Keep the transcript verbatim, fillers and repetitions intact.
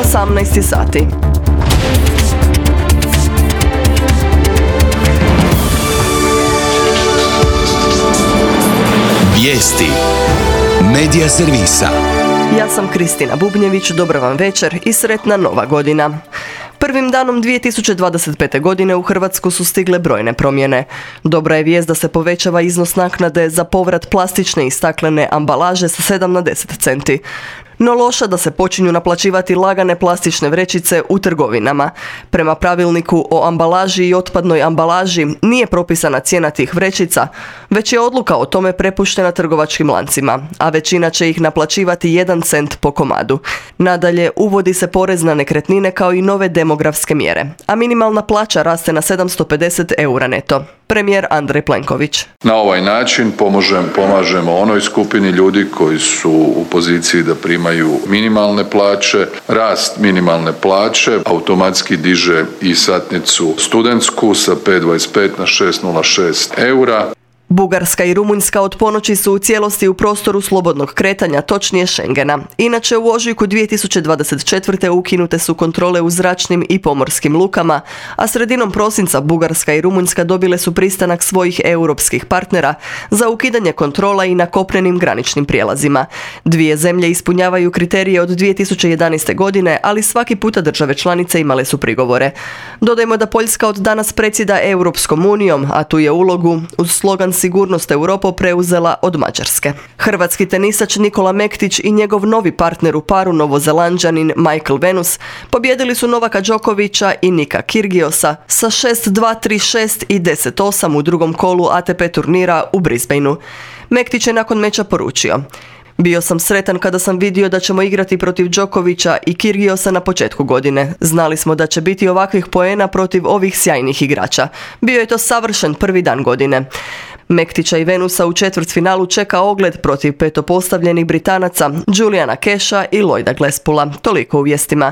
osamnaest sati. Vijesti Medija servisa. Ja sam Kristina Bubnjević, dobar vam večer i sretna nova godina. Prvim danom dvije tisuće dvadeset pete. godine u Hrvatsku su stigle brojne promjene. Dobra je vijest da se povećava iznos naknade za povrat plastične i staklene ambalaže sa sedam na deset centi. No loša da se počinju naplaćivati lagane plastične vrećice u trgovinama. Prema pravilniku o ambalaži i otpadnoj ambalaži nije propisana cijena tih vrećica, već je odluka o tome prepuštena trgovačkim lancima, a većina će ih naplaćivati jedan cent po komadu. Nadalje, uvodi se porez na nekretnine kao i nove demografske mjere, a minimalna plaća raste na sedamsto pedeset eura neto. Premijer Andrej Plenković. Na ovaj način pomožem, pomažemo onoj skupini ljudi koji su u poziciji da primaju minimalne plaće. Rast minimalne plaće automatski diže i satnicu studentsku sa pet zarez dvadeset pet na šest zarez nula šest eura. Bugarska i Rumunjska od ponoći su u cijelosti u prostoru slobodnog kretanja, točnije Schengena. Inače, u ožujku dvije tisuće dvadeset četvrte. ukinute su kontrole u zračnim i pomorskim lukama, a sredinom prosinca Bugarska i Rumunjska dobile su pristanak svojih europskih partnera za ukidanje kontrola i na kopnenim graničnim prijelazima. Dvije zemlje ispunjavaju kriterije od dvije tisuće jedanaeste. godine, ali svaki puta države članice imale su prigovore. Dodajmo da Poljska od danas predsjeda Europskom unijom, a tu je ulogu uz slogan Sigurnost Europo preuzela od Mađarske. Hrvatski tenisač Nikola Mektić i njegov novi partner u paru, Novozelanđanin Michael Venus, pobijedili su Novaka Đokovića i Nika Kyrgiosa sa šest dva, tri šest i deset osam u drugom kolu A T P turnira u Brisbaneu. Mektić je nakon meča poručio: "Bio sam sretan kada sam vidio da ćemo igrati protiv Đokovića i Kyrgiosa na početku godine. Znali smo da će biti ovakvih poena protiv ovih sjajnih igrača. Bio je to savršen prvi dan godine." Mektića i Venusa u četvrtfinalu čeka ogled protiv petopostavljenih Britanaca Juliana Casha i Lloyda Glasspool'a. Toliko u vijestima.